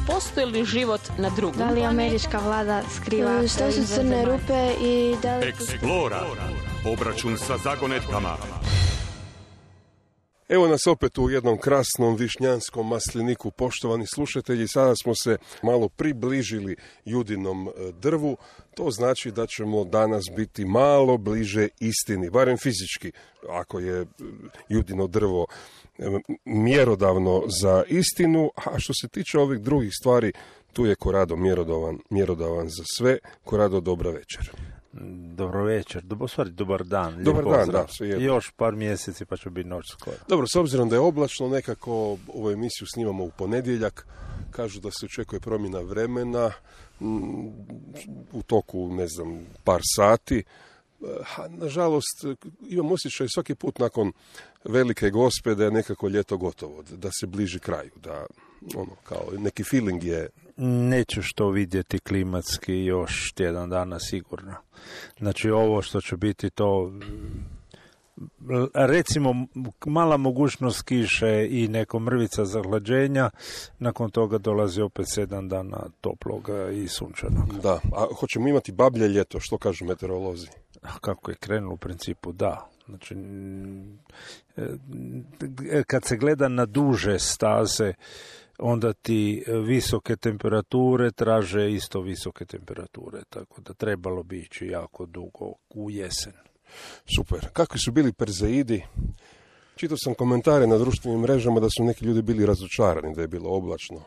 postoji li život na drugom Da li američka vlada skriva šta su crne rupe i da li... Eksplora. Obračun sa zagonetkama. Evo nas opet u jednom krasnom višnjanskom masliniku, poštovani slušatelji. Sada smo se malo približili Judinom drvu. To znači da ćemo danas biti malo bliže istini, barem fizički, ako je Judino drvo mjerodavno za istinu. A što se tiče ovih drugih stvari, tu je Korado mjerodavan za sve. Korado, dobra večer. Dobro večer, dobar dan. Dobar dan, da. Još par mjeseci pa će biti noć skoro. Dobro, s obzirom da je oblačno, nekako ovu emisiju snimamo u ponedjeljak. Kažu da se očekuje promjena vremena u toku, par sati. Nažalost, imam osjećaj svaki put nakon Velike Gospe da je nekako ljeto gotovo, da se bliži kraju, da kao neki feeling je. Nećeš to vidjeti klimatski još tjedan dana sigurno. Znači ovo što će biti to, recimo mala mogućnost kiše i neko mrvica zahlađenja, nakon toga dolazi opet 7 dana toploga i sunčanog. Da, a hoćemo imati bablje ljeto, što kažu meteorolozi? Kako je krenulo u principu, da. Znači, kad se gleda na duže staze, onda ti visoke temperature traže isto visoke temperature, tako da trebalo bi ići jako dugo u jesen. Super. Kakvi su bili Perzeidi? Čitao sam komentare na društvenim mrežama da su neki ljudi bili razočarani, da je bilo oblačno.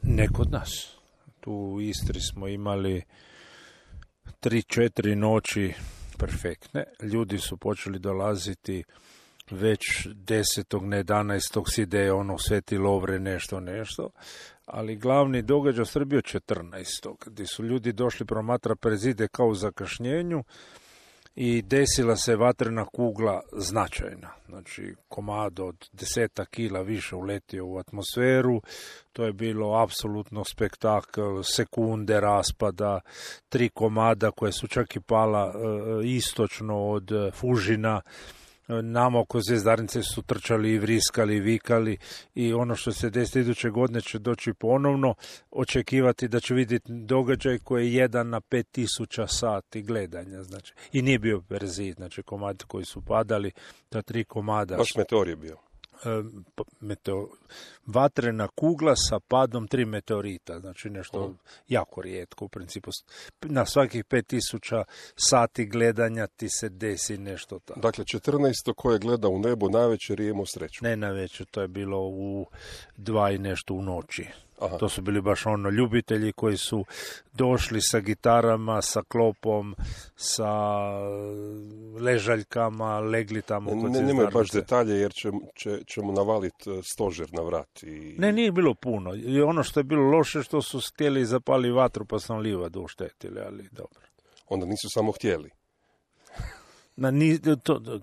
Ne kod nas. Tu u Istri smo imali 3-4 noći perfektne. Ljudi su počeli dolaziti već 10. ne 11. si ide Sveti Lovre nešto, ali glavni događaj u bio 14. gdje su ljudi došli promatra Perzide kao u zakašnjenju i desila se vatrena kugla značajna. Znači, komad od 10 kila više uletio u atmosferu, to je bilo apsolutno spektakl, sekunde raspada, 3 komada koje su čak i pala istočno od Fužina. Nama oko Zvjezdarnice su trčali i vriskali i vikali i ono što se desi iduće godine će doći ponovno, očekivati da će vidjeti događaj koji je 1 na 5000 sati gledanja. Znači. I nije bio Perzid, znači komadi koji su padali, ta 3 komada. Baš meteor je bio. Vatrena kugla sa padom 3 meteorita, znači nešto jako rijetko u principu. Na svakih 5000 sati gledanja ti se desi nešto tako. Dakle, 14. ko je gledao u nebo navečer je imao sreću. Ne navečer, to je bilo u 2 i nešto u noći. Aha. To su bili baš ljubitelji koji su došli sa gitarama, sa klopom, sa ležaljkama, legli tamo kod Zvjezdarnice. Nemoj baš detalje jer ćemo navaliti stožer na vrat. Ne, nije bilo puno. I ono što je bilo loše što su htjeli zapali vatru pa sam livadu uštetili, ali dobro. Onda nisu samo htjeli.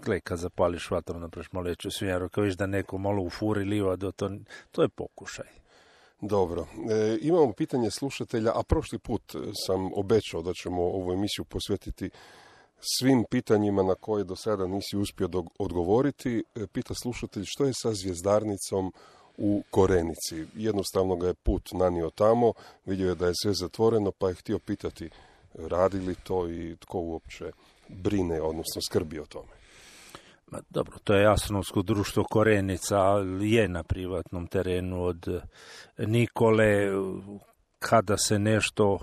Gle, kad zapališ vatru, napraviš malo veću svinjaru, kao viš da neko malo ufuri livadu, to je pokušaj. Dobro, imamo pitanje slušatelja, a prošli put sam obećao da ćemo ovu emisiju posvetiti svim pitanjima na koje do sada nisi uspio odgovoriti. Pita slušatelj što je sa Zvjezdarnicom u Korenici. Jednostavno ga je put nanio tamo, vidio je da je sve zatvoreno, pa je htio pitati radi li to i tko uopće brine, odnosno skrbi o tome. Dobro, to je Astronomsko društvo Korenica, ali je na privatnom terenu od Nikole. Kada se nešto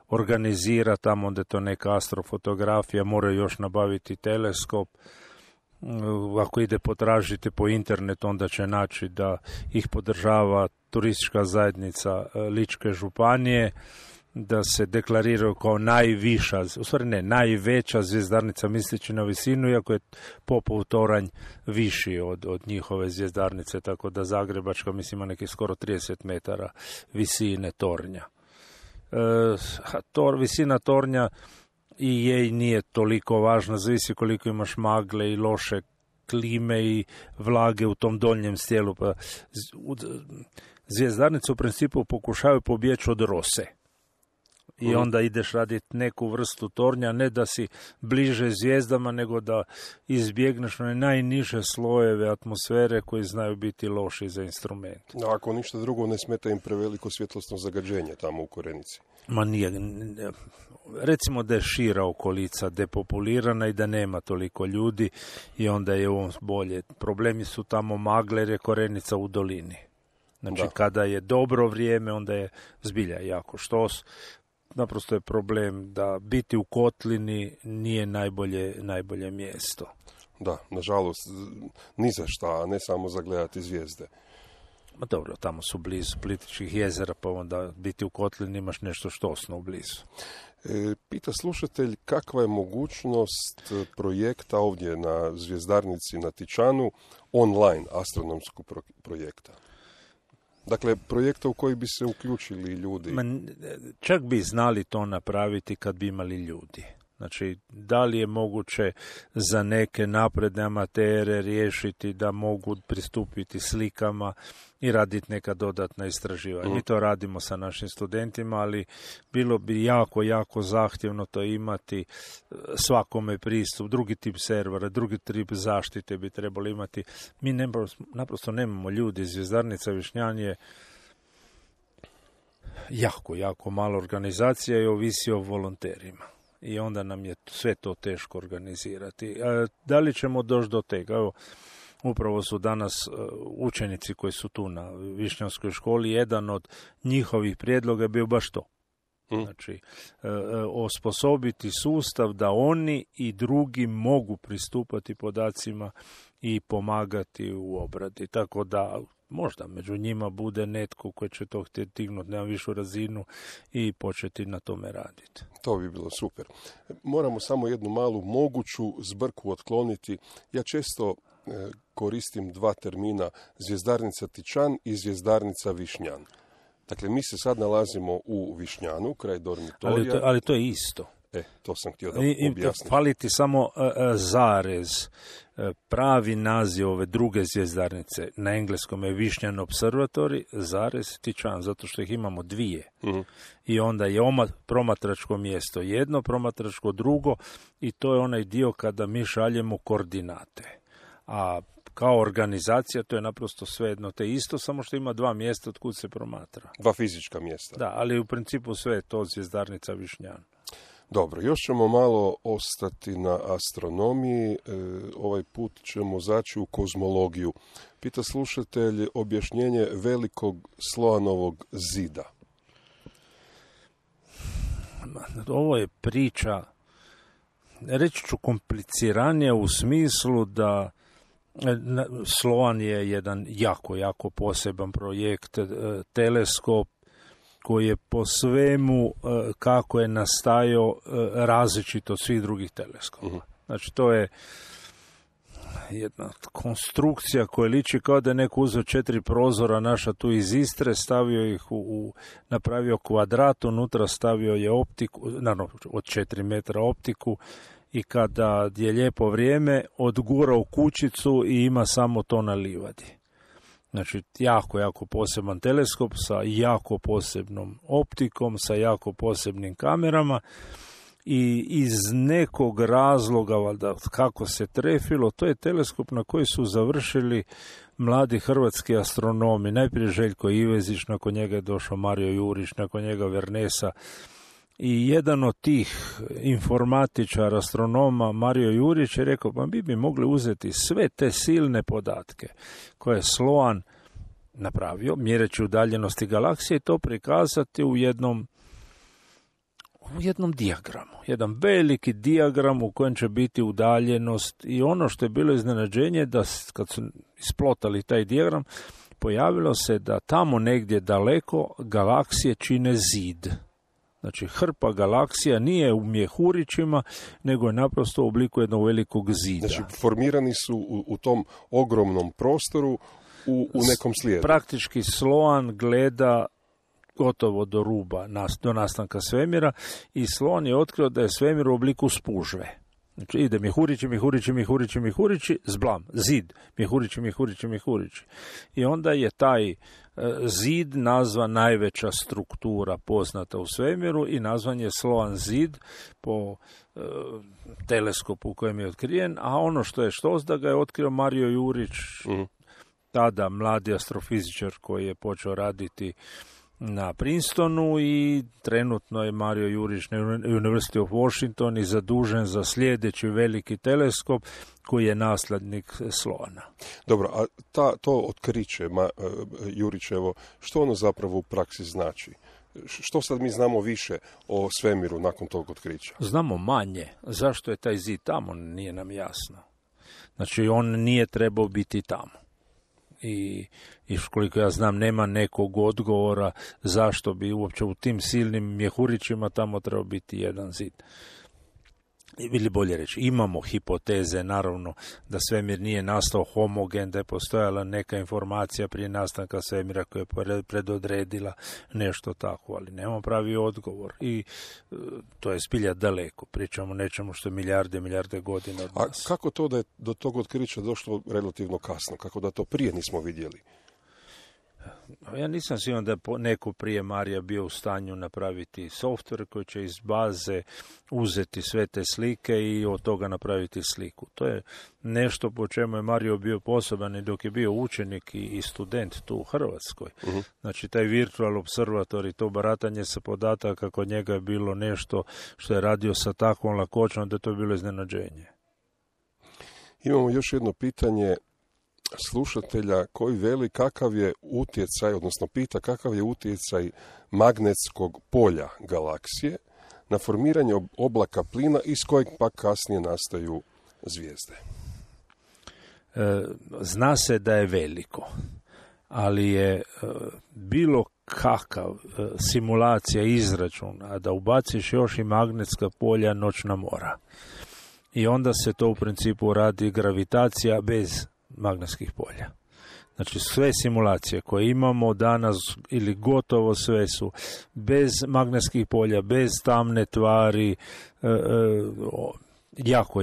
organizira tamo, onda je to neka astrofotografija, moraju još nabaviti teleskop. Ako ide potražiti po internetu, onda će naći da ih podržava turistička zajednica Ličke županije, da se deklariraju kao najviša, u stvari ne, najveća zvjezdarnica misleći na visinu, iako je Popov toranj viši od njihove zvjezdarnice, tako da Zagrebačka mislim ima neki skoro 30 metara visine tornja. Visina tornja i jej nije toliko važna, zavisi koliko imaš magle i loše klime i vlage u tom donjem stijelu. Pa zvjezdarnice u principu pokušavaju pobjeći od rose. i onda ideš raditi neku vrstu tornja, ne da si bliže zvijezdama, nego da izbjegneš one najniže slojeve atmosfere koji znaju biti loši za instrument. Ako ništa drugo, ne smeta im preveliko svjetlosno zagađenje tamo u Korenici. Ma nije. Recimo da je šira okolica depopulirana i da nema toliko ljudi i onda je ovo bolje. Problemi su tamo magle jer je Korenica u dolini. Znači kada je dobro vrijeme, onda je zbilja jako štos. Naprosto je problem da biti u kotlini nije najbolje mjesto. Da, nažalost, ni za šta, a ne samo za gledati zvijezde. Ma dobro, tamo su blizu Plitvičkih jezera, pa onda biti u kotlini imaš nešto štosno blizu. Pita slušatelj kakva je mogućnost projekta ovdje na zvjezdarnici na Tičanu, online astronomskog projekta. Dakle, projekta u koji bi se uključili ljudi. Čak bi znali to napraviti kad bi imali ljudi. Znači, da li je moguće za neke napredne amatere riješiti da mogu pristupiti slikama i raditi neka dodatna istraživanja. Mi to radimo sa našim studentima, ali bilo bi jako zahtjevno to imati, svakome pristup, drugi tip servera, drugi tip zaštite bi trebali imati. Mi naprosto nemamo ljudi. Zvjezdarnica Višnjan je jako mala organizacija i ovisi o volonterima. I onda nam je sve to teško organizirati. Da li ćemo doći do tega? Evo, upravo su danas učenici koji su tu na Višnjanskoj školi, jedan od njihovih prijedloga je bio baš to. Znači, osposobiti sustav da oni i drugi mogu pristupati podacima i pomagati u obradi. Tako da možda među njima bude netko koji će to htjeti dignuti na višu razinu i početi na tome raditi. To bi bilo super. Moramo samo jednu malu moguću zbrku otkloniti. Ja često koristim dva termina, zvjezdarnica Tičan i zvjezdarnica Višnjan. Dakle, mi se sad nalazimo u Višnjanu, kraj dormitorija. Ali to je isto. To sam htio da objasnim. Fali ti samo zarez. Pravi naziv ove druge zvjezdarnice na engleskom je Višnjan Observatory, zarez Tičan, zato što ih imamo dvije. I onda je promatračko mjesto jedno, promatračko drugo i to je onaj dio kada mi šaljemo koordinate. A kao organizacija to je naprosto svejedno te isto, samo što ima dva mjesta od kud se promatra. Dva fizička mjesta. Da, ali u principu sve je to zvjezdarnica Višnjan. Dobro, još ćemo malo ostati na astronomiji, ovaj put ćemo zaći u kozmologiju. Pita slušatelj objašnjenje velikog Sloanovog zida. Ovo je priča, reći ću kompliciranija u smislu da Sloan je jedan jako poseban projekt, teleskop koji je po svemu kako je nastajao različito od svih drugih teleskopa. Znači to je jedna konstrukcija koja liči kao da je neko uzeo 4 prozora naša tu iz Istre, stavio ih napravio kvadrat, unutra stavio je optiku, naravno od 4 metra optiku i kada je lijepo vrijeme odgurao kućicu i ima samo to na livadi. Znači, jako poseban teleskop sa jako posebnom optikom, sa jako posebnim kamerama i iz nekog razloga, valjda kako se trefilo, to je teleskop na koji su završili mladi hrvatski astronomi. Najprije Željko Ivezić, nakon njega je došao Mario Jurić, nakon njega Vernesa. I jedan od tih informatičara, astronoma, Mario Jurić, je rekao, pa bi mogli uzeti sve te silne podatke koje je Sloan napravio, mjereći udaljenosti galaksije, i to prikazati u jednom dijagramu. Jedan veliki dijagram u kojem će biti udaljenost i ono što je bilo iznenađenje da kad su isplotali taj dijagram, pojavilo se da tamo negdje daleko galaksije čine zid. Znači, hrpa galaksija nije u mjehurićima, nego je naprosto u obliku jednog velikog zida. Znači, formirani su u tom ogromnom prostoru u nekom slijedu. Praktički Sloan gleda gotovo do ruba, do nastanka svemira, i Sloan je otkrio da je svemir u obliku spužve. Znači, ide mjehurići, zblam, zid, mjehurići. I onda je taj zid nazvan najveća struktura poznata u svemiru i nazvan je Sloan zid po teleskopu u kojem je otkriven, a ono što je štos da ga je otkrio Mario Jurić, tada mladi astrofizičar koji je počeo raditi na Princetonu i trenutno je Mario Jurić na University of Washington i zadužen za sljedeći veliki teleskop koji je naslednik Sloana. Dobro, a to otkriće Jurićevo, što ono zapravo u praksi znači? Što sad mi znamo više o svemiru nakon tog otkrića? Znamo manje. Zašto je taj zid tamo, nije nam jasno. Znači, on nije trebao biti tamo. I koliko ja znam, nema nekog odgovora zašto bi uopće u tim silnim mjehurićima tamo trebao biti jedan zid. Ili bolje reći, imamo hipoteze, naravno, da svemir nije nastao homogen, da je postojala neka informacija prije nastanka svemira koja je predodredila nešto tako, ali nemamo pravi odgovor. I to je zbilja daleko. Pričamo o nečemu što je milijarde godina od nas. A kako to da je do tog otkrića došlo relativno kasno? Kako da to prije nismo vidjeli? Ja nisam siguran da je neko prije Marija bio u stanju napraviti softver koji će iz baze uzeti sve te slike i od toga napraviti sliku. To je nešto po čemu je Mario bio poseban i dok je bio učenik i student tu u Hrvatskoj. Znači, taj virtual observator i to baratanje sa podataka kod njega je bilo nešto što je radio sa takvom lakoćom da to je bilo iznenađenje. Imamo još jedno pitanje slušatelja koji veli kakav je utjecaj, odnosno pita kakav je utjecaj magnetskog polja galaksije na formiranje oblaka plina iz kojeg pa kasnije nastaju zvijezde. Zna se da je veliko, ali je bilo kakav simulacija, izračun, a da ubaciš još i magnetska polja, noćna mora. I onda se to u principu radi gravitacija bez magnetskih polja. Znači, sve simulacije koje imamo danas ili gotovo sve su bez magnetskih polja, bez tamne tvari,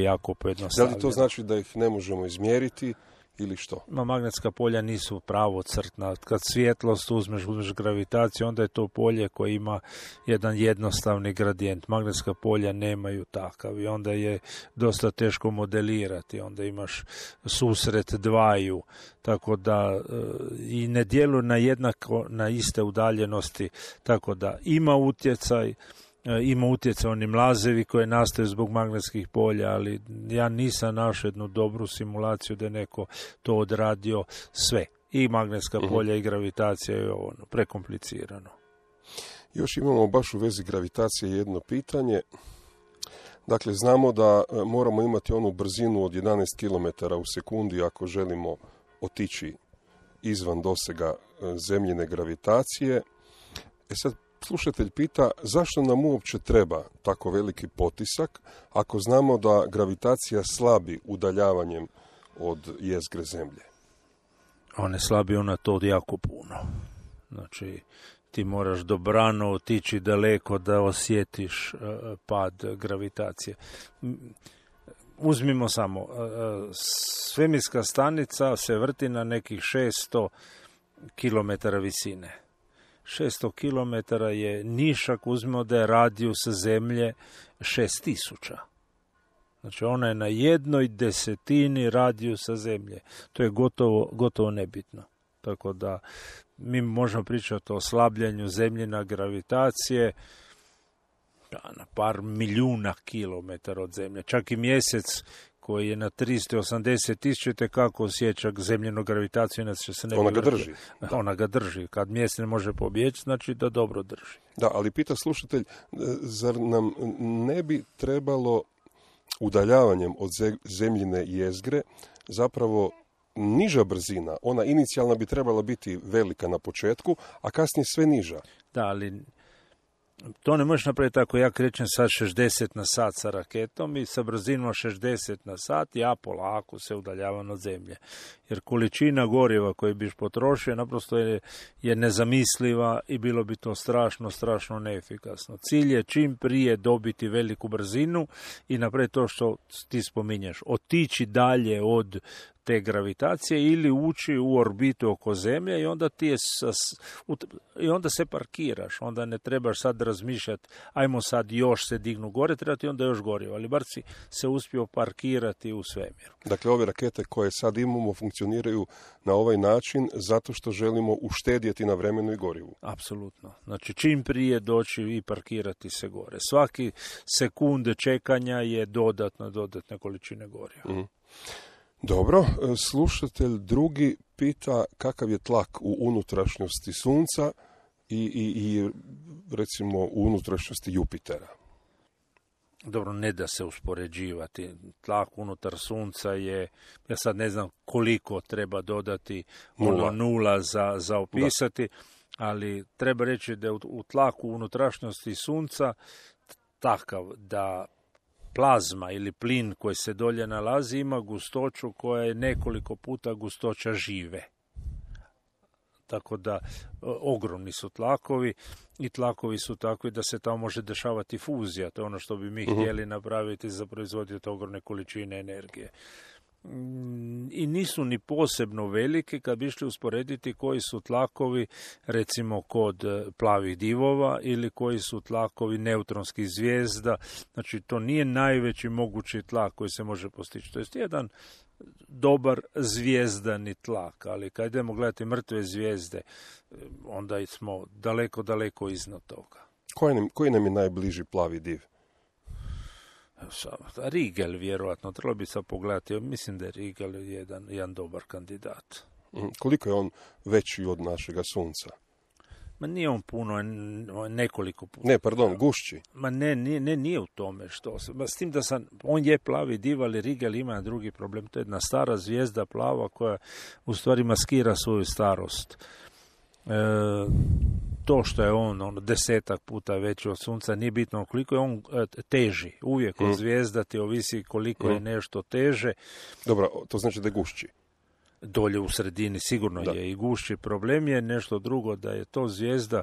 jako pojednostavljeno. Da li to znači da ih ne možemo izmjeriti ili što? Magnetska polja nisu pravocrtna. Kad svjetlost uzmeš gravitaciju, onda je to polje koje ima jedan jednostavni gradijent. Magnetska polja nemaju takav i onda je dosta teško modelirati. Onda imaš susret dvaju, tako da i ne djeluju na iste udaljenosti, tako da ima utjecaj. Ima utjecaj oni mlazevi koje nastaju zbog magnetskih polja, ali ja nisam našao jednu dobru simulaciju da je neko to odradio sve. I magnetska polja i gravitacija je prekomplicirano. Još imamo baš u vezi gravitacije jedno pitanje. Dakle, znamo da moramo imati onu brzinu od 11 km u sekundi ako želimo otići izvan dosega zemljine gravitacije. Sad, slušatelj pita zašto nam uopće treba tako veliki potisak ako znamo da gravitacija slabi udaljavanjem od jezgre Zemlje? One slabi ona to jako puno. Znači, ti moraš dobrano otići daleko da osjetiš pad gravitacije. Uzmimo samo, svemirska stanica se vrti na nekih 600 km visine. 600 km je nišak, uzmimo da je radijus Zemlje 6000. Znači, ona je na 1/10 radijusa Zemlje. To je gotovo nebitno. Tako da mi možemo pričati o slabljenju Zemljina gravitacije na par milijuna kilometara od Zemlje. Čak i Mjesec koji je na 380.000, kako osjeća zemljenu gravitaciju, inače se ne bi... Ona ga drži. Ona ga drži. Kad mjesec ne može pobjeći, znači da dobro drži. Da, ali pita slušatelj, zar nam ne bi trebalo udaljavanjem od zemljine jezgre zapravo niža brzina? Ona inicijalna bi trebala biti velika na početku, a kasnije sve niža. Da, ali to ne možeš napraviti ako ja krećem sad 60 na sat sa raketom i sa brzinom 60 na sat, ja polako se udaljavam od Zemlje. jer količina goriva koju biš potrošio naprosto je nezamisliva i bilo bi to strašno neefikasno. Cilj je čim prije dobiti veliku brzinu i napraviti to što ti spominješ, otići dalje od te gravitacije ili ući u orbitu oko Zemlje i onda i onda se parkiraš, onda ne trebaš sad razmišljati ajmo sad još se dignu gore, treba ti onda još gorivo, ali bar si se uspio parkirati u svemiru. Dakle, ove rakete koje sad imamo funkcioniraju na ovaj način zato što želimo uštedjeti na vremenu i gorivu. Apsolutno. Znači, čim prije doći i parkirati se gore. Svaki sekunde čekanja je dodatne količine goriva. Mm. Dobro, slušatelj drugi pita kakav je tlak u unutrašnjosti Sunca i recimo u unutrašnjosti Jupitera. Dobro, ne da se uspoređivati. Tlak unutar Sunca je, ja sad ne znam koliko treba dodati nula za opisati, ali treba reći da je u tlaku unutrašnjosti Sunca takav da plazma ili plin koji se dolje nalazi ima gustoću koja je nekoliko puta gustoća žive. Tako da ogromni su tlakovi i tlakovi su takvi da se tamo može dešavati fuzija. To je ono što bi mi htjeli napraviti za proizvoditi ogromne količine energije. I nisu ni posebno veliki kad bi išli usporediti koji su tlakovi recimo kod plavih divova ili koji su tlakovi neutronskih zvijezda. Znači to nije najveći mogući tlak koji se može postići. To je jedan dobar zvijezdani tlak, ali kad idemo gledati mrtve zvijezde onda smo daleko iznad toga. Koji nam je najbliži plavi div? Rigel vjerojatno, trebalo bi sad pogledati, mislim da je Rigel jedan dobar kandidat. Koliko je on veći od našega Sunca? Ma nije on puno, nekoliko puta. Ne, pardon, gušći. Ma nije u tome što. S tim da on je plavi div, ali Rigel ima drugi problem. To je jedna stara zvijezda plava koja u stvari maskira svoju starost. To što je on 10 puta veći od Sunca, nije bitno koliko je on teži. Uvijek od zvijezda ti ovisi koliko je nešto teže. Dobro, to znači da je gušći. Dolje u sredini sigurno je i gušći. Problem je nešto drugo, da je to zvijezda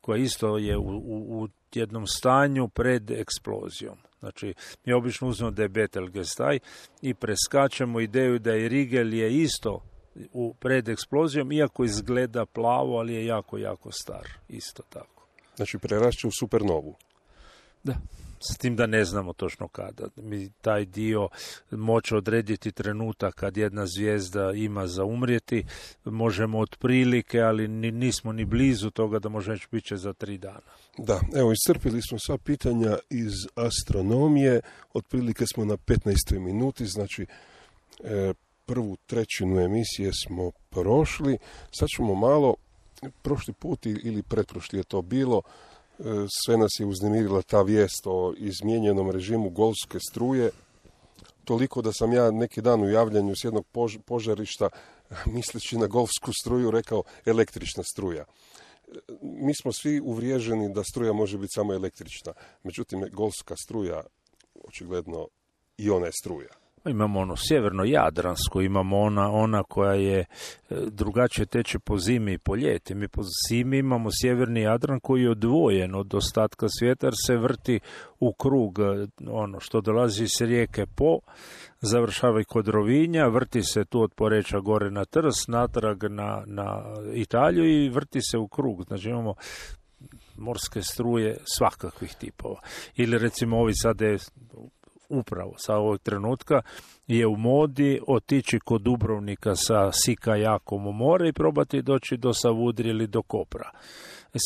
koja isto je u jednom stanju pred eksplozijom. Znači, mi obično uzmemo da je Betelgeuse i preskačemo ideju da je Rigel je isto pred eksplozijom, iako izgleda plavo, ali je jako star. Isto tako. Znači, prerašće u supernovu. Da. S tim da ne znamo točno kada. Mi taj dio moći odrediti trenutak kad jedna zvijezda ima za umrijeti, možemo otprilike, ali nismo ni blizu toga da može biti će za 3 dana. Da, evo, iscrpili smo sva pitanja iz astronomije, otprilike smo na 15. minuti, znači prvu trećinu emisije smo prošli, sad ćemo malo, prošli put ili pretprošli je to bilo, sve nas je uznemirila ta vijest o izmijenjenom režimu golfske struje, toliko da sam ja neki dan u javljanju s jednog požarišta, misleći na golfsku struju, rekao električna struja. Mi smo svi uvriježeni da struja može biti samo električna, međutim golfska struja, očigledno i ona je struja. Imamo ono sjeverno-jadransku, imamo ona koja je drugačije teče po zimi i po ljeti. Mi po zimi imamo sjeverni Jadran koji je odvojen od ostatka svijeta jer se vrti u krug, ono što dolazi iz rijeke Po, završava i kod Rovinja, vrti se tu od Poreča gore na Trst, natrag na Italiju i vrti se u krug. Znači imamo morske struje svakakvih tipova. Ili recimo ovi sad je upravo sa ovog trenutka je u modi otići kod Dubrovnika sa kajakom u more i probati doći do Savudrije ili do Kopra.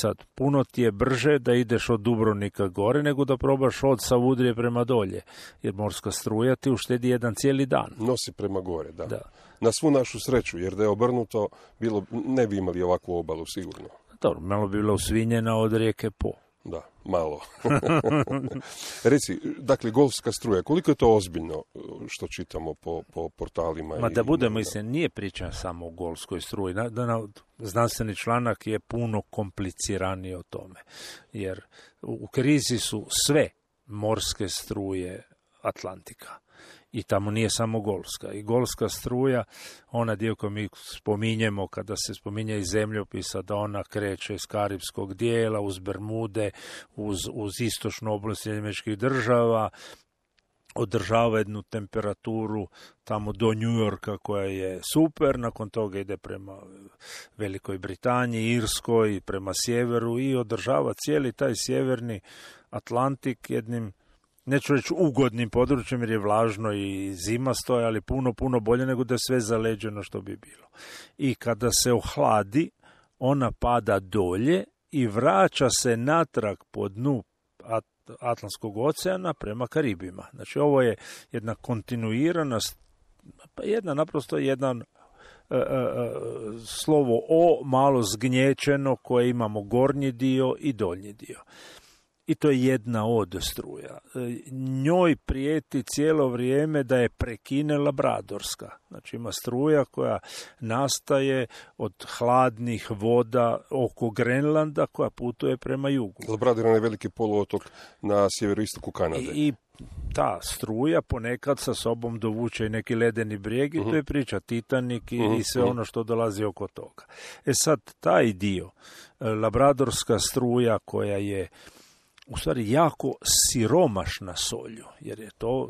Sad, puno ti je brže da ideš od Dubrovnika gore nego da probaš od Savudrije prema dolje, jer morska struja ti uštedi jedan cijeli dan. Nosi prema gore, da. Na svu našu sreću, jer da je obrnuto, ne bi imali ovakvu obalu sigurno. Dobro, malo bi bila usvinjena od rijeke Po. Da, malo. Reci, dakle, golfska struja, koliko je to ozbiljno što čitamo po portalima? Ma da budemo, mislim, nije priča samo o golfskoj struji. Znanstveni članak je puno kompliciraniji o tome. Jer u krizi su sve morske struje Atlantika. I tamo nije samo Golska. I Golska struja, ona dio koju mi spominjemo kada se spominje iz zemljopisa, da ona kreće iz Karibskog dijela, uz Bermude, uz istočnu oblast Američkih država, održava jednu temperaturu tamo do New Yorka koja je super, nakon toga ide prema Velikoj Britaniji, Irskoj, prema sjeveru i održava cijeli taj sjeverni Atlantik jednim, neću reći ugodnim područjem jer je vlažno i zima stoje, ali puno bolje nego da je sve zaleđeno što bi bilo. I kada se ohladi, ona pada dolje i vraća se natrag po dnu Atlantskog oceana prema Karibima. Znači ovo je jedna kontinuirana, naprosto jedan slovo O malo zgnječeno koje imamo gornji dio i donji dio. I to je jedna od struja. Njoj prijeti cijelo vrijeme da je prekine Labradorska. Znači ima struja koja nastaje od hladnih voda oko Grenlanda koja putuje prema jugu. Labrador je veliki poluotok na sjeveroistoku Kanade. I ta struja ponekad sa sobom dovuče i neki ledeni brijeg i to je priča Titanik i sve ono što dolazi oko toga. Sad, taj dio, Labradorska struja koja je u stvari jako siromašna solju, jer je to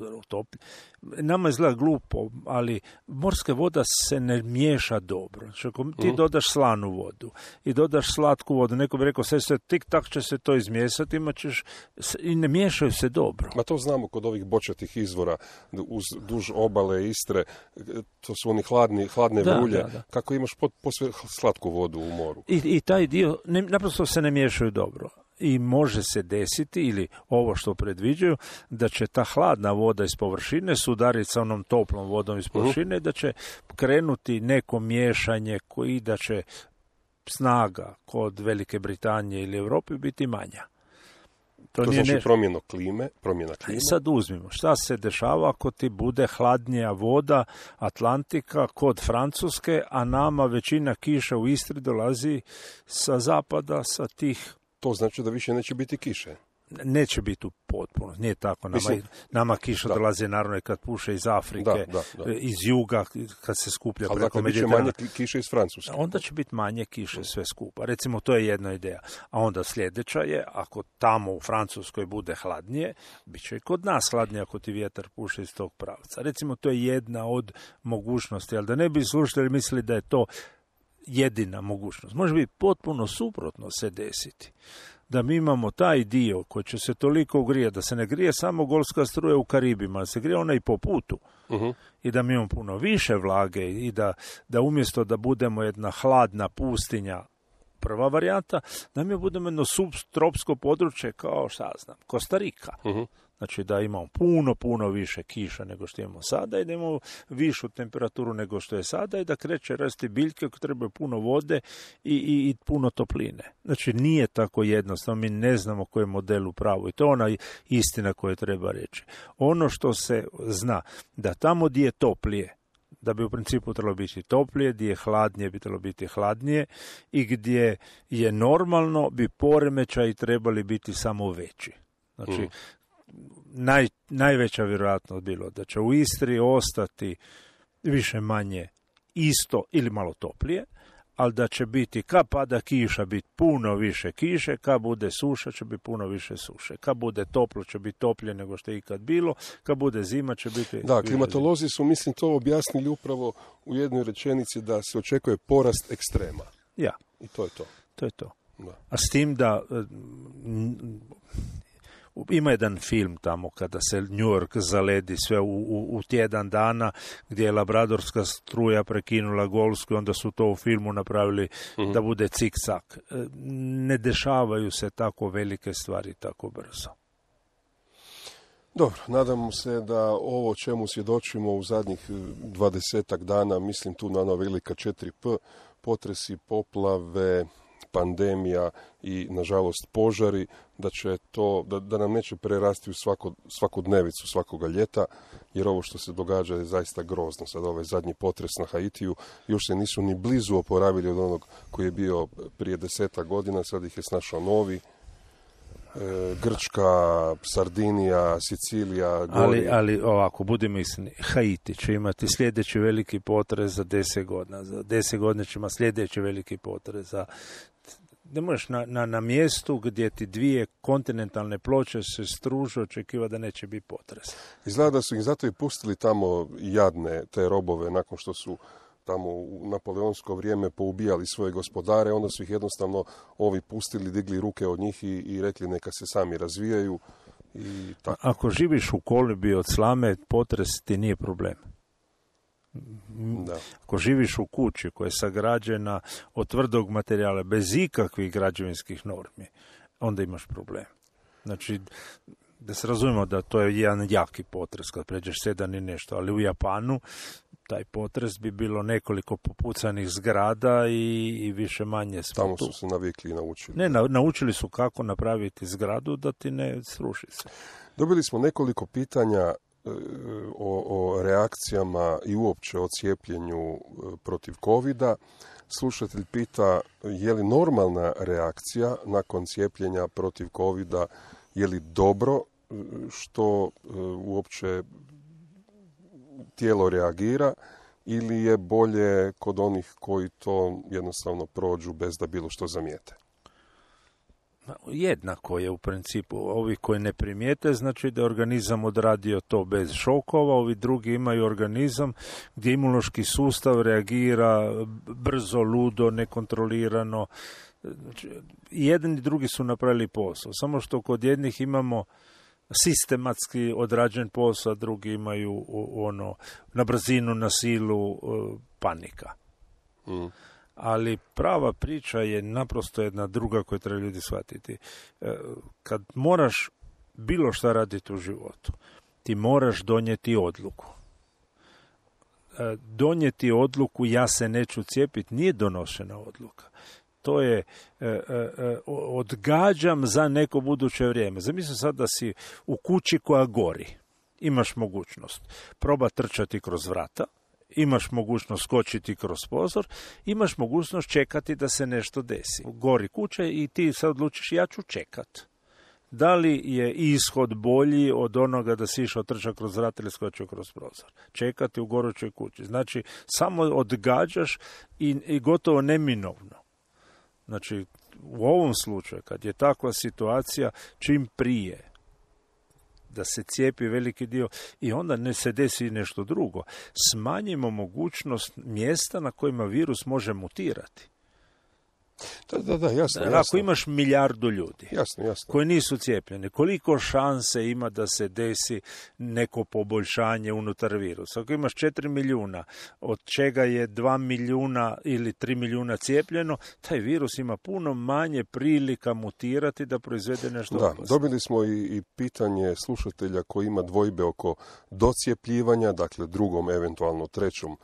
nama izgleda glupo, ali morska voda se ne miješa dobro. Znači, ako ti dodaš slanu vodu i dodaš slatku vodu, neko bi rekao, sve tik tak će se to izmiješati, i ne miješaju se dobro. Ma to znamo kod ovih bočatih izvora, duž obale Istre, to su oni hladne vrulje, kako imaš posve slatku vodu u moru. I taj dio, naprosto se ne miješaju dobro. I može se desiti, ili ovo što predviđaju, da će ta hladna voda iz površine sudariti sa onom toplom vodom iz površine, da će krenuti neko miješanje koji da će snaga kod Velike Britanije ili Europe biti manja. To znači promjena klime. Sad uzmimo, šta se dešava ako ti bude hladnija voda Atlantika kod Francuske, a nama većina kiša u Istri dolazi sa zapada, sa tih. To znači da više neće biti kiše. Neće biti u potpuno, nije tako. Nama kiša dolaze naravno kad puše iz Afrike, iz juga, kad se skuplja preko Mediterana. Ali bit će manje kiše iz Francuske. Onda će biti manje kiše sve skupa. Recimo, to je jedna ideja. A onda sljedeća je, ako tamo u Francuskoj bude hladnije, bit će i kod nas hladnije ako ti vjetar puše iz tog pravca. Recimo, to je jedna od mogućnosti, ali da ne bi slušali mislili da je to jedina mogućnost. Može biti potpuno suprotno se desiti. Da mi imamo taj dio koji će se toliko ugrijati, da se ne grije samo Golska struja u Karibima, da se grije ona i po putu. I da mi imamo puno više vlage i da umjesto da budemo jedna hladna pustinja, prva varijanta, da mi budemo jedno subtropsko područje kao, Kostarika. Znači da imamo puno više kiša nego što imamo sada i da imamo višu temperaturu nego što je sada i da kreće rasti biljke koje trebaju puno vode i puno topline. Znači nije tako jednostavno, mi ne znamo koji je model u pravu i to je ona istina koju treba reći. Ono što se zna, da tamo gdje je toplije, da bi u principu trebalo biti toplije, gdje je hladnije bi trebalo biti hladnije i gdje je normalno bi poremećaji trebali biti samo veći. Znači, najveća vjerojatnost bilo da će u Istri ostati više manje isto ili malo toplije, ali da će biti, kad pada kiša, biti puno više kiše, kad bude suša će biti puno više suše, kad bude toplo će biti toplije nego što je ikad bilo, kad bude zima će biti. Da, klimatolozi su, mislim, to objasnili upravo u jednoj rečenici da se očekuje porast ekstrema. Ja. I to je to. To je to. Da. A s tim da ima jedan film tamo kada se New York zaledi sve u tjedan dana gdje je Labradorska struja prekinula Golsku i onda su to u filmu napravili da bude cik-cak. Ne dešavaju se tako velike stvari tako brzo. Dobro, nadamo se da ovo čemu svjedočimo u zadnjih 20 dana, mislim tu na ona velika 4P, potresi, poplave, pandemija i, nažalost, požari, da će to, da nam neće prerasti u svakodnevicu svakoga ljeta, jer ovo što se događa je zaista grozno. Sad ovaj zadnji potres na Haitiju, još se nisu ni blizu oporavili od onog koji je bio prije 10 godina, sad ih je snašao novi. Grčka, Sardinija, Sicilija. Ali ovako, budimo iskreni, Haiti će imati sljedeći veliki potres za 10 godina. Za 10 godina će imati sljedeći veliki potres. Ne možeš na mjestu gdje ti dvije kontinentalne ploče se struže očekiva da neće biti potres. Izgleda da su ih zato i pustili tamo jadne te robove nakon što su tamo u napoleonsko vrijeme poubijali svoje gospodare, onda su ih jednostavno ovi pustili, digli ruke od njih i rekli neka se sami razvijaju. I tako. Ako živiš u kolibi od slame, potres ti nije problem. Da. Ako živiš u kući koja je sagrađena od tvrdog materijala bez ikakvih građevinskih normi, onda imaš problem. Znači, da se razumijemo da to je jedan jaki potres kad pređeš 7 i nešto, ali u Japanu taj potres bi bilo nekoliko popucanih zgrada i više manje smo tamo tu. Su se navikli i naučili. Ne, naučili su kako napraviti zgradu da ti ne sruši se. Dobili smo nekoliko pitanja o reakcijama i uopće o cijepljenju protiv covida. Slušatelj pita je li normalna reakcija nakon cijepljenja protiv covida, je li dobro što uopće tijelo reagira ili je bolje kod onih koji to jednostavno prođu bez da bilo što zamijete? Jednako je u principu. Ovi koji ne primijete, znači da je organizam odradio to bez šokova, ovi drugi imaju organizam gdje imunološki sustav reagira brzo, ludo, nekontrolirano. Znači, jedni i drugi su napravili posao. Samo što kod jednih imamo sistematski odrađen posao, drugi imaju na brzinu, na silu, panika. Ali prava priča je naprosto jedna druga koju treba ljudi shvatiti. Kad moraš bilo šta raditi u životu, ti moraš donijeti odluku. Donijeti odluku ja se neću cijepiti nije donošena odluka. To je odgađam za neko buduće vrijeme. Zamisli sad da si u kući koja gori. Imaš mogućnost proba trčati kroz vrata, imaš mogućnost skočiti kroz prozor, imaš mogućnost čekati da se nešto desi. Gori kuća i ti sad odlučiš ja ću čekat. Da li je ishod bolji od onoga da si išao trčati kroz vrata ili skočio kroz prozor? Čekati u gorućoj kući. Znači, samo odgađaš i gotovo neminovno. Znači, u ovom slučaju, kad je takva situacija, čim prije da se cijepi veliki dio i onda ne se desi nešto drugo, smanjimo mogućnost mjesta na kojima virus može mutirati. Da, jasno. Ako imaš milijardu ljudi jasno. koji nisu cijepljeni, koliko šanse ima da se desi neko poboljšanje unutar virusa? Ako imaš 4 milijuna, od čega je 2 milijuna ili 3 milijuna cijepljeno, taj virus ima puno manje prilika mutirati da proizvede nešto opasno. Dobili smo i pitanje slušatelja koji ima dvojbe oko docijepljivanja, dakle drugom, eventualno trećom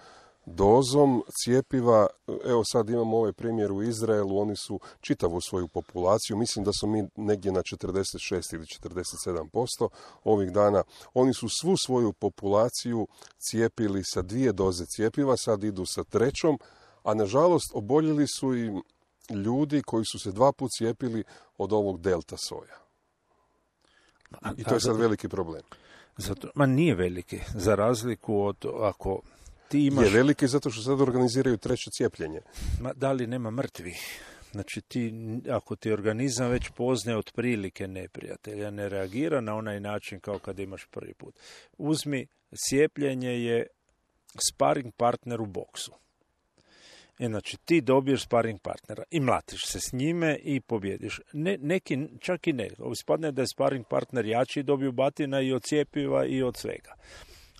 dozom cijepiva. Evo sad imamo ovaj primjer u Izraelu, oni su čitavu svoju populaciju, mislim da su mi negdje na 46 ili 47% ovih dana, oni su svu svoju populaciju cijepili sa 2 doze cijepiva, sad idu sa 3, a nažalost oboljeli su i ljudi koji su se 2 puta cijepili od ovog delta soja. I to je sad veliki problem. Nije veliki, za razliku od ako ti imaš... Je veliki zato što sad organiziraju 3. cijepljenje. Da li nema mrtvih? Znači, ako ti organizam već poznaje otprilike neprijatelja, ne reagira na onaj način kao kad imaš prvi put. Uzmi, cijepljenje je sparing partner u boksu. Znači, ti dobiješ sparing partnera i mlatiš se s njime i pobjediš. Neki, čak i ne. Ispadne da je sparing partner jači, dobiju batina i od cjepiva i od svega.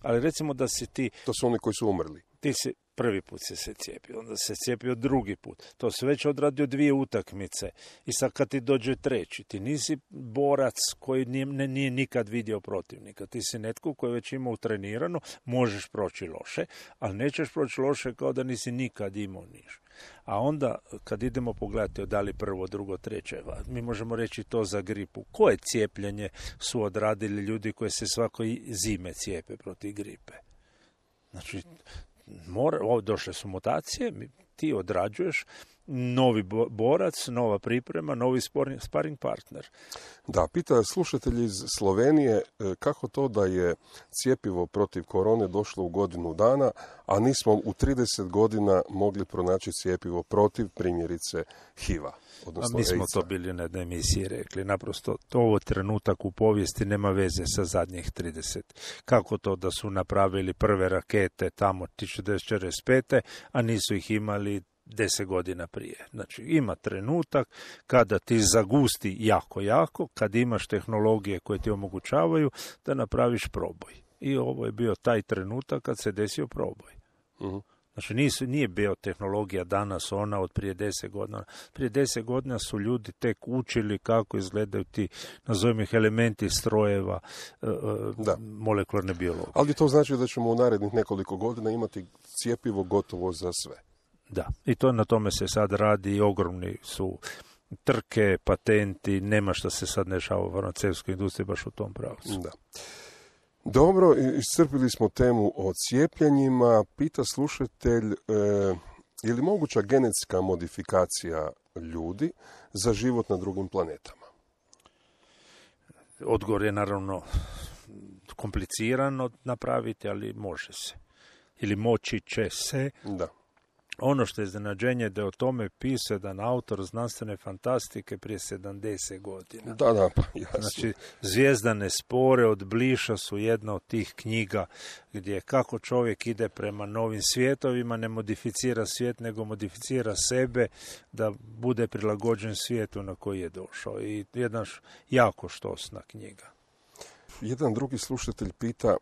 Ali recimo da si ti... To su oni koji su umrli. Ti si prvi put se cijepio, onda se cijepio drugi put. To se već odradio 2 utakmice. I sad kad ti dođe 3, ti nisi borac koji nije nikad vidio protivnika. Ti si netko koji već ima utrenirano, možeš proći loše, ali nećeš proći loše kao da nisi nikad imao niš. A onda, kad idemo pogledati da li 1., 2., 3, mi možemo reći to za gripu. Koje cijepljenje su odradili ljudi koji se svakoj zime cijepe protiv gripe? Znači, došle su mutacije, ti odrađuješ novi borac, nova priprema, novi sparing partner. Da, pita slušatelj iz Slovenije kako to da je cjepivo protiv korone došlo u godinu dana, a nismo u 30 godina mogli pronaći cjepivo protiv, primjerice, HIV-a. A mi smo to bili na jednoj emisiji rekli. Naprosto, ovo trenutak u povijesti nema veze sa zadnjih 30. Kako to da su napravili prve rakete tamo 1945. a nisu ih imali 10 godina prije. Znači, ima trenutak kada ti zagusti jako, kad imaš tehnologije koje ti omogućavaju da napraviš proboj. I ovo je bio taj trenutak kad se desio proboj. Uh-huh. Znači, nije bio tehnologija danas ona od prije 10 godina. Prije 10 godina su ljudi tek učili kako izgledaju ti, nazovimo ih, elementi strojeva, molekularne biologije. Ali to znači da ćemo u narednih nekoliko godina imati cjepivo gotovo za sve. Da, i to na tome se sad radi i ogromni su trke, patenti, nema što se sad dešava u farmaceutskoj industriji baš u tom pravcu. Da. Dobro, iscrpili smo temu o cijepljenjima. Pita slušatelj, je li moguća genetska modifikacija ljudi za život na drugim planetama? Odgovor je naravno komplicirano napraviti, ali može se. Ili moći će se. Da. Ono što je iznenađenje da je o tome pisao jedan autor znanstvene fantastike prije 70 godina. Da, pa jasno. Znači, Zvijezdane spore od Bliša su jedna od tih knjiga gdje kako čovjek ide prema novim svijetovima, ne modificira svijet, nego modificira sebe da bude prilagođen svijetu na koji je došao. I jedna jako štosna knjiga. Jedan drugi slušatelj pita,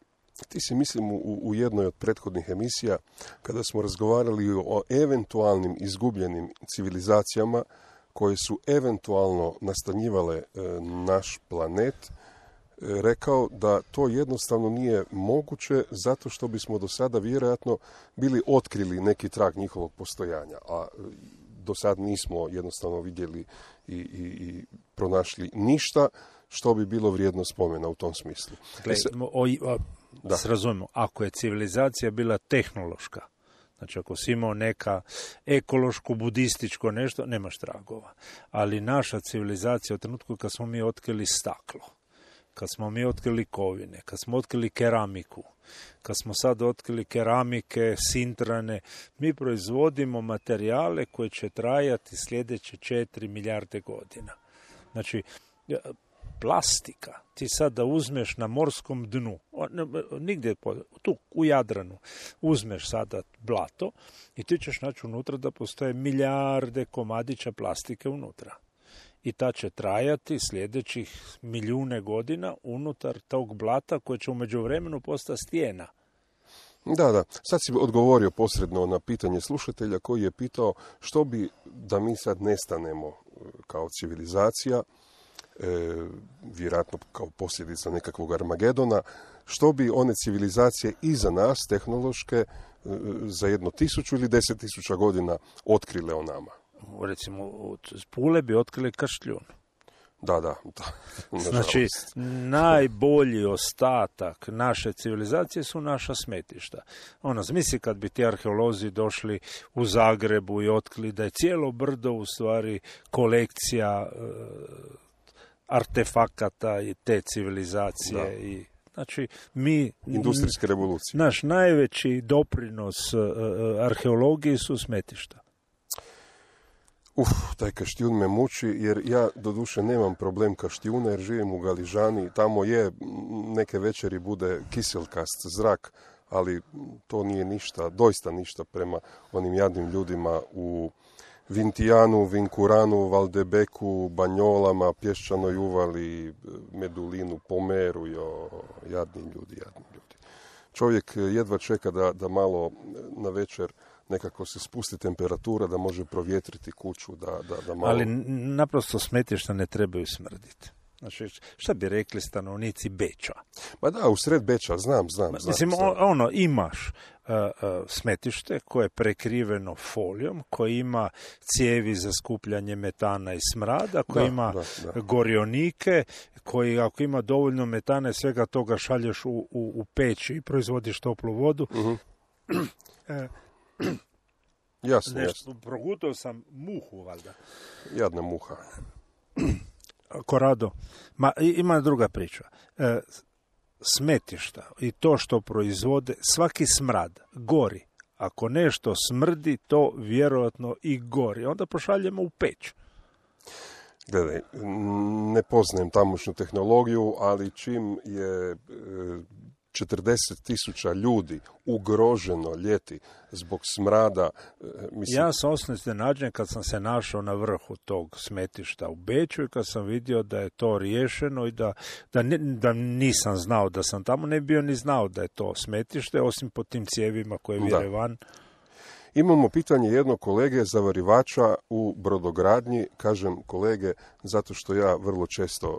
ti si mislim u jednoj od prethodnih emisija, kada smo razgovarali o eventualnim izgubljenim civilizacijama koje su eventualno nastanjivale naš planet, rekao da to jednostavno nije moguće zato što bismo do sada vjerojatno bili otkrili neki trag njihovog postojanja, a do sad nismo jednostavno vidjeli i pronašli ništa što bi bilo vrijedno spomena u tom smislu. Da se razumemo, ako je civilizacija bila tehnološka, znači ako si imao neka ekološko, budističko nešto, nemaš tragova. Ali naša civilizacija u trenutku kad smo mi otkrili staklo, kad smo mi otkrili kovine, kad smo otkrili keramiku, kad smo sad otkrili keramike, sintrane, mi proizvodimo materijale koje će trajati sljedeće 4 milijarde godina. Znači, plastika, ti sad da uzmeš na morskom dnu, nigdje tu u Jadranu, uzmeš sada blato i ti ćeš naći unutra da postoje milijarde komadića plastike unutra. I ta će trajati sljedećih milijune godina unutar tog blata koje će u međuvremenu postati stijena. Da. Sad si odgovorio posredno na pitanje slušatelja koji je pitao što bi da mi sad nestanemo kao civilizacija, vjerojatno kao posljedica nekakvog Armagedona, što bi one civilizacije iza nas, tehnološke, za 1000 ili 10.000 godina otkrile o nama? Recimo, od Pule bi otkrili Kaštljun. Da. Znači, najbolji ostatak naše civilizacije su naša smetišta. Zamisli kad bi ti arheolozi došli u Zagrebu i otkrili da je cijelo brdo u stvari kolekcija artefakata i te civilizacije. Da. I znači, industrijske revolucije. Naš najveći doprinos arheologiji su smetišta. Taj Kaštijun me muči, jer ja doduše nemam problem Kaštijuna, jer živim u Galižani, tamo je neke večeri bude kiselkast zrak, ali to nije ništa, doista ništa prema onim jadnim ljudima u Vintijanu, Vinkuranu, Valdebeku, Banjolama, Pješčanoj uvali, Medulinu, Pomeru, jadni ljudi. Čovjek jedva čeka da malo na večer nekako se spusti temperatura, da može provjetriti kuću, da malo... Ali naprosto smetišta ne trebaju smrditi. Znači, šta bi rekli stanovnici Beča? Ma da, u sred Beča, znam. Mislim, imaš smetište koje je prekriveno folijom, koje ima cijevi za skupljanje metana i smrada, koje ima gorionike, koji ako ima dovoljno metana i svega toga šalješ u peć i proizvodiš toplu vodu. Jasno, jasno. Progutao sam muhu, valjda. Jadna muha. Korado. Ima druga priča. Smetišta i to što proizvode, svaki smrad gori. Ako nešto smrdi, to vjerojatno i gori. Onda pošaljemo u peć. Gledaj, ne poznajem tamošnju tehnologiju, ali čim je 40.000 ljudi ugroženo ljeti zbog smrada. Mislim... Ja sam osnovno iznenađen kad sam se našao na vrhu tog smetišta u Beču i kad sam vidio da je to riješeno i da nisam znao da sam tamo, ne bio ni znao da je to smetište, osim po tim cijevima koje vire van. Imamo pitanje jednog kolege zavarivača u brodogradnji, kažem kolege zato što ja vrlo često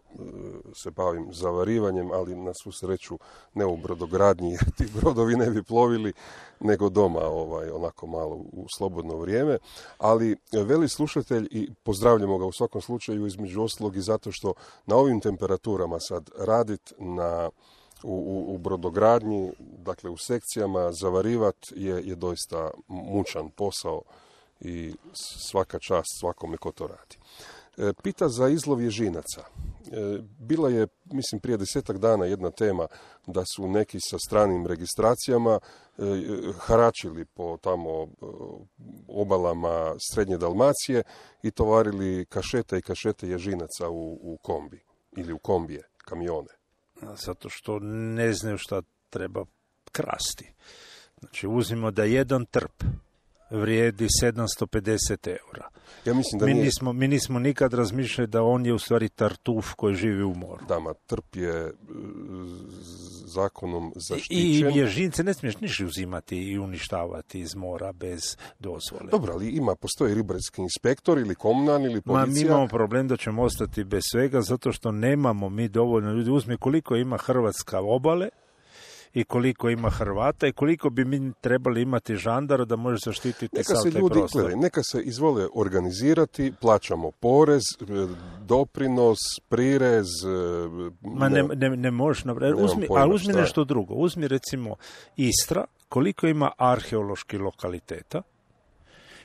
se bavim zavarivanjem, ali na svu sreću ne u brodogradnji jer ti brodovi ne bi plovili nego doma onako malo u slobodno vrijeme, ali veli slušatelj i pozdravljamo ga u svakom slučaju između ostalog i zato što na ovim temperaturama sad radit u brodogradnji, dakle u sekcijama, zavarivat je doista mučan posao i svaka čast svakome ko to radi. Pita za izlov ježinaca. Bila je, mislim, prije 10 dana jedna tema da su neki sa stranim registracijama haračili po tamo obalama Srednje Dalmacije i tovarili kašete i kašete ježinaca u kombi ili u kombije, kamione. Zato što ne znaju šta treba krasti. Znači, uzmimo da jedan trp vrijedi 750 eura. Ja mislim da mi nismo nikad razmišljali da on je u stvari tartuf koji živi u moru. Dama, trp je zakonom zaštićen. I ježince ne smiješ niš uzimati i uništavati iz mora bez dozvole. Dobro, ali postoji ribarski inspektor ili komunalni ili policija. Mi imamo problem da ćemo ostati bez svega zato što nemamo mi dovoljno ljudi. Uzmi koliko ima Hrvatska obale i koliko ima Hrvata i koliko bi mi trebali imati žandara da može zaštititi sav taj prostor. Gledaj, neka se izvole organizirati, plaćamo porez, doprinos, prirez. Ne možeš napraviti. Uzmi nešto drugo. Uzmi recimo Istra, koliko ima arheoloških lokaliteta,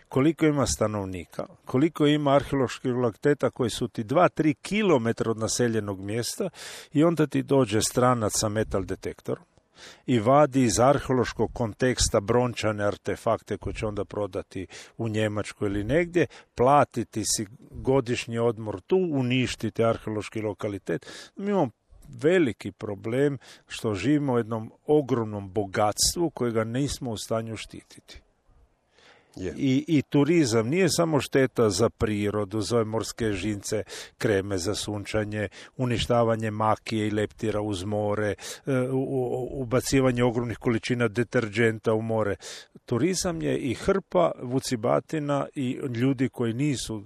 koliko ima stanovnika, koliko ima arheoloških lokaliteta koji su ti 2-3 kilometra od naseljenog mjesta i onda ti dođe stranac sa metal detektorom i vadi iz arheološkog konteksta brončane artefakte koje će onda prodati u Njemačku ili negdje, platiti si godišnji odmor tu, uništiti arheološki lokalitet. Mi imamo veliki problem što živimo u jednom ogromnom bogatstvu kojega nismo u stanju štititi. Yeah. I turizam nije samo šteta za prirodu, za morske žince, kreme za sunčanje, uništavanje makije i leptira uz more, ubacivanje ogromnih količina deterđenta u more. Turizam je i hrpa vucibatina i ljudi koji nisu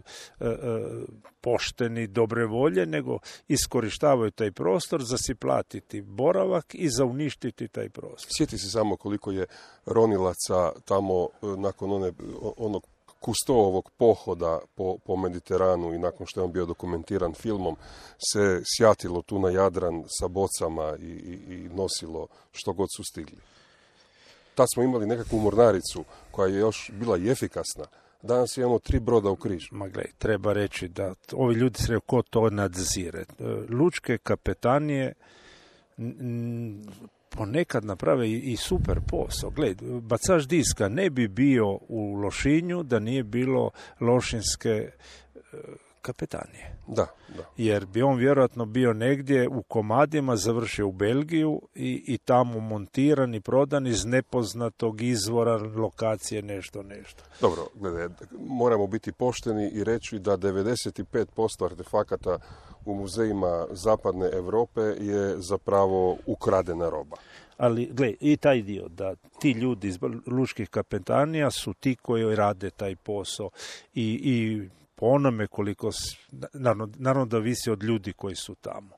pošteni, dobre volje, nego iskorištavaju taj prostor za si platiti boravak i za uništiti taj prostor. Sjeti se samo koliko je ronilaca tamo nakon onog Kustoovog pohoda po Mediteranu i nakon što je on bio dokumentiran filmom se sjatilo tu na Jadran sa bocama i nosilo što god su stigli. Tad smo imali nekakvu mornaricu koja je još bila i efikasna. Danas imamo 3 broda u križu. Ma gledaj, treba reći da ovi ljudi se ko to nadzire. Lučke kapetanije ponekad naprave i super posao. Gledaj, bacač diska ne bi bio u Lošinju da nije bilo lošinske kapetanije. Da. Jer bi on vjerojatno bio negdje u komadima, završio u Belgiju i tamo montiran i prodan iz nepoznatog izvora, lokacije, nešto. Dobro, gledaj, moramo biti pošteni i reći da 95% artefakata u muzejima zapadne Europe je zapravo ukradena roba. Ali, gle, i taj dio, da ti ljudi iz lučkih kapetanija su ti koji rade taj posao i po onome koliko, naravno da visi od ljudi koji su tamo.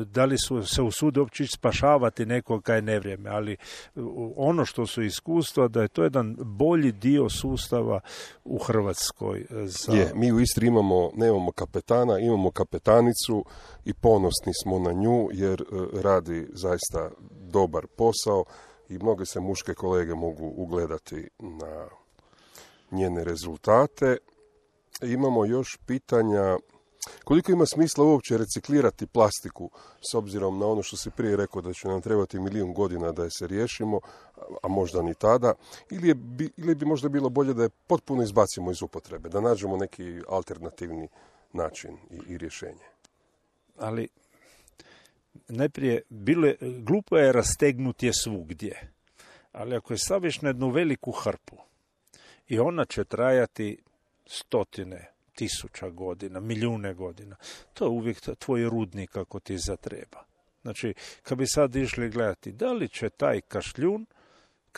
Da li su se usude uopće spašavati nekog kaj nevrijeme, ali ono što su iskustva da je to jedan bolji dio sustava u Hrvatskoj. Mi u Istri nemamo kapetana, imamo kapetanicu i ponosni smo na nju jer radi zaista dobar posao i mnoge se muške kolege mogu ugledati njene rezultate. Imamo još pitanja koliko ima smisla uopće reciklirati plastiku, s obzirom na ono što si prije rekao da će nam trebati 1.000.000 godina da je se riješimo, a možda ni tada, ili bi možda bilo bolje da je potpuno izbacimo iz upotrebe, da nađemo neki alternativni način i rješenje. Ali najprije, glupo je rastegnuti je svugdje, ali ako je staviš na jednu veliku hrpu i ona će trajati 100.000 godina, milijune godina, to je uvijek tvoj rudnik ako ti zatreba. Znači, kad bi sad išli gledati da li će taj kašljun,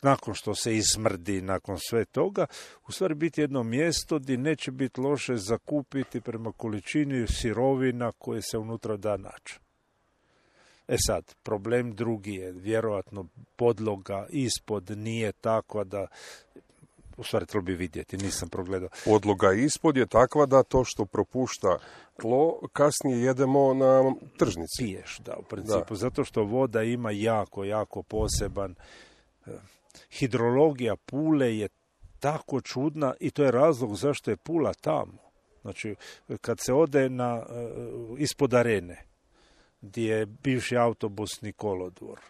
nakon što se izmrdi, nakon sve toga, u stvari biti jedno mjesto gdje neće biti loše zakupiti prema količini sirovina koje se unutra da naći. E sad, problem drugi je, vjerojatno podloga ispod nije takva da, u stvari treba bi vidjeti, nisam progledao. Podloga ispod je takva da to što propušta tlo, kasnije jedemo na tržnici. Piješ, da, u principu, zato što voda ima jako poseban. Hidrologija Pule je tako čudna i to je razlog zašto je Pula tamo. Znači, kad se ode ispod arene, gdje je bivši autobusni kolodvor,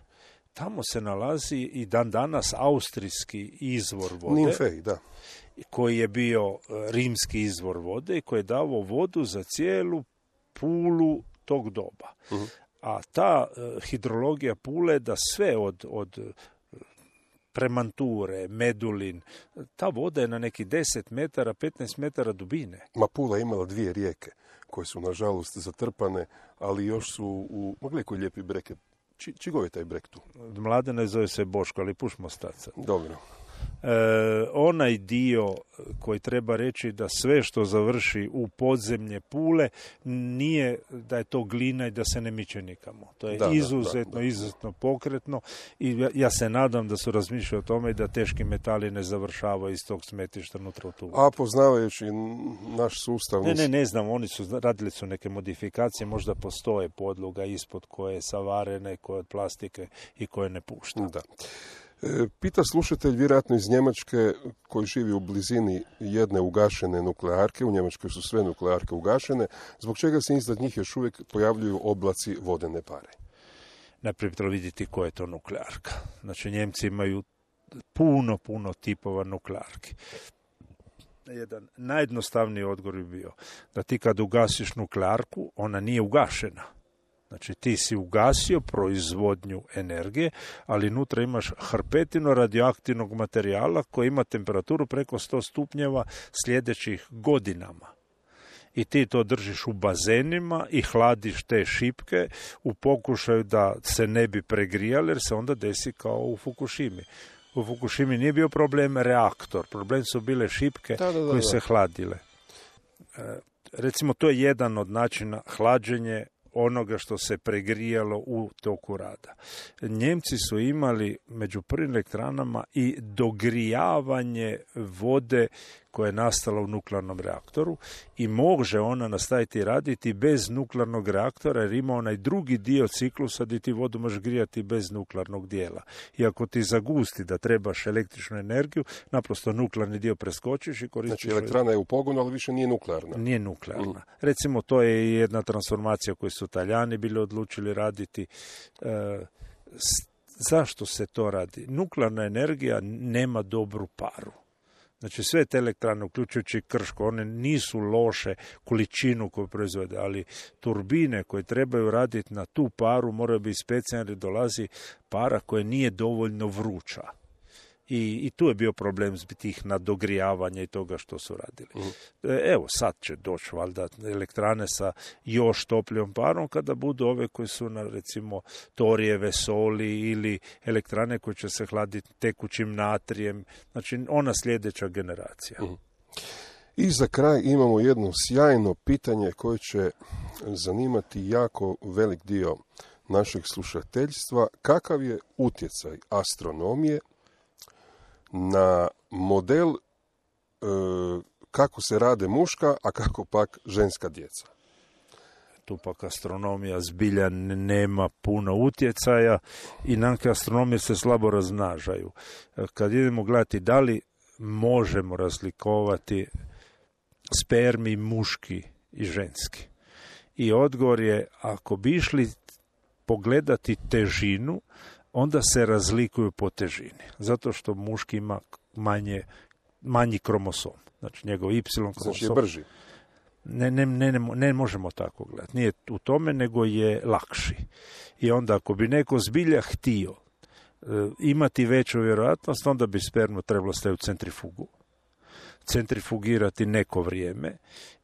tamo se nalazi i dan danas austrijski izvor vode, Nimfej, da, koji je bio rimski izvor vode i koji je davao vodu za cijelu Pulu tog doba. Uh-huh. A ta hidrologija Pule da sve od Premanture, Medulin, ta voda je na neki 10 metara, 15 metara dubine. Ma Pula je imala 2 rijeke koje su nažalost zatrpane, ali još su u... Mogli koji lijepi breg je. Čigov je taj breg tu? Mladene zove se Boško, ali pušmo staca. Dobro. Onaj dio koji treba reći da sve što završi u podzemlje Pule nije da je to glina i da se ne miče nikamo. To je izuzetno pokretno i ja se nadam da su razmišljali o tome da teški metali ne završavaju iz tog smetišta unutra u tu. A poznavajući naš sustav... Ne znam, radili su neke modifikacije, možda postoje podloga ispod koje je savarene, koje od plastike i koje ne pušta. Da. Pita slušatelj, vjerojatno iz Njemačke, koji živi u blizini jedne ugašene nuklearke, u Njemačkoj su sve nuklearke ugašene, zbog čega se iznad njih još uvijek pojavljuju oblaci vodene pare? Najprije treba vidjeti koja je to nuklearka. Znači, Njemci imaju puno tipova nuklearki. Jedan najjednostavniji odgovor bi bio da ti kad ugasiš nuklearku, ona nije ugašena. Znači, ti si ugasio proizvodnju energije, ali unutra imaš hrpetinu radioaktivnog materijala koji ima temperaturu preko 100 stupnjeva sljedećih godinama. I ti to držiš u bazenima i hladiš te šipke u pokušaju da se ne bi pregrijali, jer se onda desi kao u Fukushimi. U Fukushimi nije bio problem reaktor, problem su bile šipke koje se hladile. Recimo, to je jedan od načina hlađenje onoga što se pregrijalo u toku rada. Njemci su imali među prvim elektranama i dogrijavanje vode koja je nastala u nuklearnom reaktoru i može ona nastaviti raditi bez nuklearnog reaktora jer ima onaj drugi dio ciklusa gdje ti vodu možeš grijati bez nuklearnog dijela. I ako ti zagusti da trebaš električnu energiju, naprosto nuklearni dio preskočiš i koristiš... Znači elektrana je u pogonu, ali više nije nuklearna. Nije nuklearna. Recimo, to je jedna transformacija koju su Talijani bili odlučili raditi. Zašto se to radi? Nuklearna energija nema dobru paru. Znači, sve te elektrane, uključujući Krško, one nisu loše količinu koju proizvode, ali turbine koje trebaju raditi na tu paru moraju biti specijalne jer dolazi para koja nije dovoljno vruća. I tu je bio problem tih nadogrijavanja i toga što su radili. Evo, sad će doći valjda elektrane sa još toplijom parom kada budu ove koje su na, recimo, torijeve soli ili elektrane koje će se hladiti tekućim natrijem. Znači, ona sljedeća generacija. I za kraj imamo jedno sjajno pitanje koje će zanimati jako velik dio našeg slušateljstva. Kakav je utjecaj astronomije na model kako se rade muška, a kako pak ženska djeca? Tu pak astronomija zbilja nema puno utjecaja i nanke astronomije se slabo raznažaju. Kad idemo gledati da li možemo razlikovati spermi muški i ženski. I odgovor je, ako bi išli pogledati težinu, onda se razlikuju po težini. Zato što muški ima manji kromosom. Znači njegov Y kromosom. Znači je brži. Ne možemo tako gledati. Nije u tome, nego je lakši. I onda ako bi neko zbilja htio imati veću vjerojatnost, onda bi spermu trebalo staviti u centrifugu. Centrifugirati neko vrijeme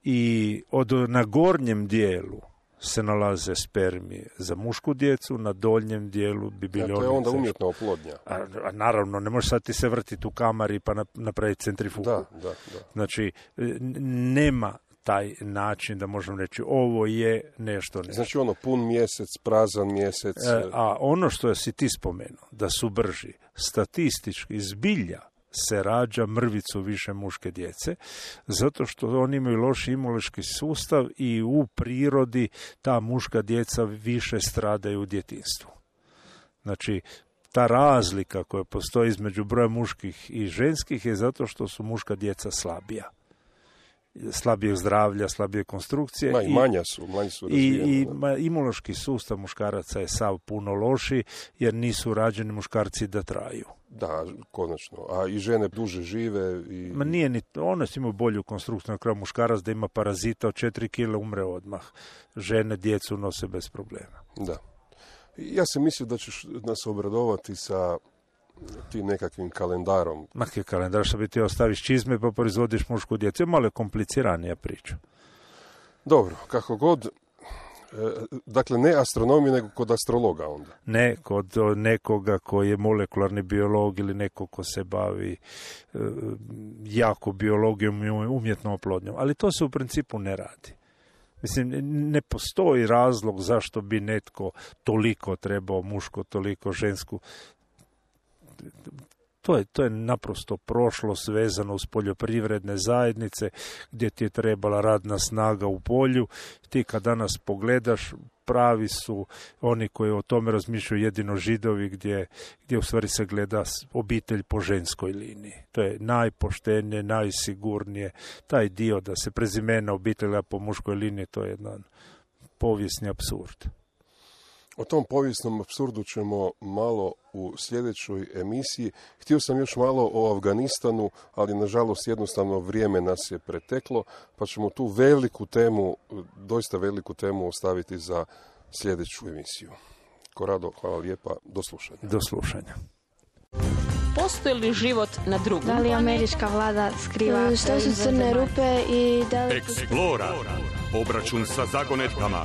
i na gornjem dijelu se nalaze spermi za mušku djecu, na donjem dijelu bi bili... To je onda umjetna oplodnja. A naravno, ne može sad ti se vrtiti u kamari pa napraviti centrifugu. Da. Znači, nema taj način da možemo reći ovo je nešto. Znači pun mjesec, prazan mjesec. A ono što si ti spomenuo, da su brži, statistički zbilja se rađa mrvicu više muške djece, zato što oni imaju loš imunološki sustav i u prirodi ta muška djeca više stradaju u djetinjstvu. Znači, ta razlika koja postoji između broja muških i ženskih je zato što su muška djeca slabija. Slabijeg zdravlja, slabije konstrukcije. Manje su razvijene. I imunološki sustav muškaraca je sav puno loši, jer nisu rađeni muškarci da traju. Da, konačno. A i žene duže žive. Ma nije ni to. One imaju bolju konstrukciju. Na kraju muškarac da ima parazita od 4 kg umre odmah. Žene djecu nose bez problema. Da. Ja sam mislio da ćeš nas obradovati sa ti nekakvim kalendarom. Maki kalendar, što bi ti ostaviš čizme pa proizvodiš mušku djecu. Je malo kompliciranija priča. Dobro, kako god. Dakle, ne astronomija, nego kod astrologa onda. Ne, kod nekoga koji je molekularni biolog ili neko ko se bavi jako biologijom i umjetnom oplodnjom. Ali to se u principu ne radi. Mislim, ne postoji razlog zašto bi netko toliko trebao muško, toliko žensku. To je naprosto prošlost vezano uz poljoprivredne zajednice gdje ti je trebala radna snaga u polju. Ti kad danas pogledaš, pravi su oni koji o tome razmišljaju jedino Židovi gdje u stvari se gleda obitelj po ženskoj liniji. To je najpoštenije, najsigurnije. Taj dio da se prezimena obitelja po muškoj liniji, to je jedan povijesni apsurd. O tom povijesnom apsurdu ćemo malo u sljedećoj emisiji. Htio sam još malo o Afganistanu, ali nažalost jednostavno vrijeme nas je preteklo, pa ćemo tu doista veliku temu ostaviti za sljedeću emisiju. Korado, hvala lijepa, do slušanja. Do slušanja. Postoji li život na drugom? Da li američka vlada skriva? Što su crne rupe i da li... Explora. Obračun sa zagonetkama.